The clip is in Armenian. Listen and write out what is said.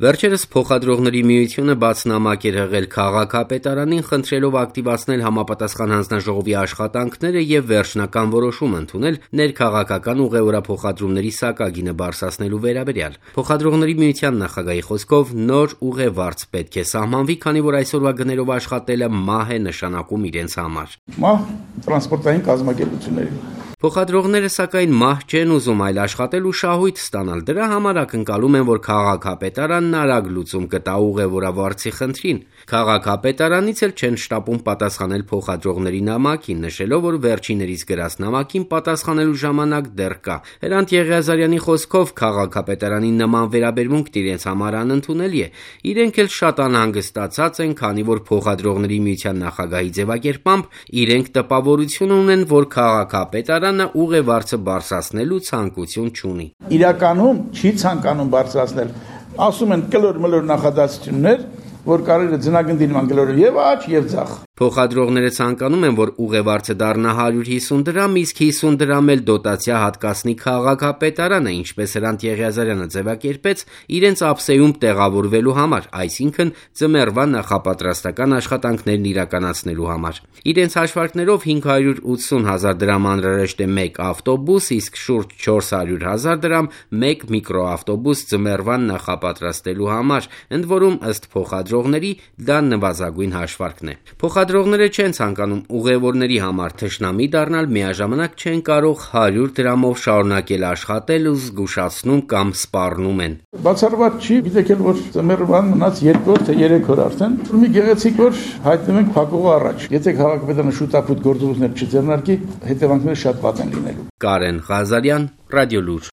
Վերջերս Փոխադրողների միությունը բացնամակ էր հղել քաղաքապետարանին, խնդրելով ակտիվացնել համապատասխան հանձնաժողովի աշխատանքները եւ վերջնական որոշում ընդունել ներքաղաքական ուղևորափոխադրումների սակագինը բարձրացնելու վերաբերյալ։ Փոխադրողների միության նախագահի խոսքով նոր ուղևարց պետք է սահմանվի, քանի որ այսօրվա գներով աշխատելը մահ է նշանակում իրենց համար։ Մահ տրանսպորտային կազմակերպությունների։ Փոխադրողները սակայն մահ չեն ուզում, այլ աշխատել ու շահույթ ստանալ։ Դրա համար ակնկալում են, որ քաղաքապետարանն արագ լուծում կտա ուղևորավարձի խնդրին։ Քաղաքապետարանից էլ չեն շտապում պատասխանել փոխադրողների նամակին, նշելով, որ վերջիներիս գրած նամակին պատասխանելու ժամանակ դեռ կա։ Հրանտ Եղիազարյանի խոսքով քաղաքապետարանի նման վերաբերմունքն իրենց համար անընդունելի է։ Իրենք էլ շատ անհանգստացած են, քանի որ Փոխադրողների միության նախագահի ձևակերպամբ իրենք տպավորություն ունեն, որ քաղաքապետարանը ուղևարցը բարձրացնելու ցանկություն չունի։ Իրականում չի ցանկանում բարձրացնել։ Ասում են կլոր-մլոր նախադասություններ, որ կարելի է ձնագնդի նման գլորը եւ աճ եւ ձախ։ Փոխադրողները ցանկանում են, որ ուղևարցը դառնա 150 դրամ, իսկ 50 դրամ էլ դոտացիա հատկացնի քաղաքապետարանը, ինչպես Հրանտ Եղիազարյանը ձևակերպեց, իրենց ափսեում տեղավորվելու համար, այսինքն ձմեռվա նախապատրաստական աշխատանքներն իրականացնելու համար։ Իրենց հաշվարկներով 580,000 դրամ անհրաժեշտ է մեկ ավտոբուս, իսկ շուրջ 400,000 դրամ մեկ միկրոավտոբուս ձմեռվան նախապատրաստելու համար, ընդ որում ըստ փոխադրողների դա նվազագույն հաշվարկն է։ Փոխադրողները չեն ցանկանում ուղևորների համար թշնամի դառնալ, միաժամանակ չեն կարող 100 դրամով շարունակել աշխատել ու զգուշացնում կամ սպառնում են։ Բացառված չի, գիտեք էլ որ ձմեռվան մնաց 2 թե 3 օր արդեն։ Մի գեղեցիկ որ հայտնվում ենք փակողը առաջ։ Եթե քաղաքապետարանը շուտապույտ գործողություններ չձեռնարկի, հետևանքները շատ վատ են լինելու։ Կարեն Ղազարյան, Ռադիոլուր։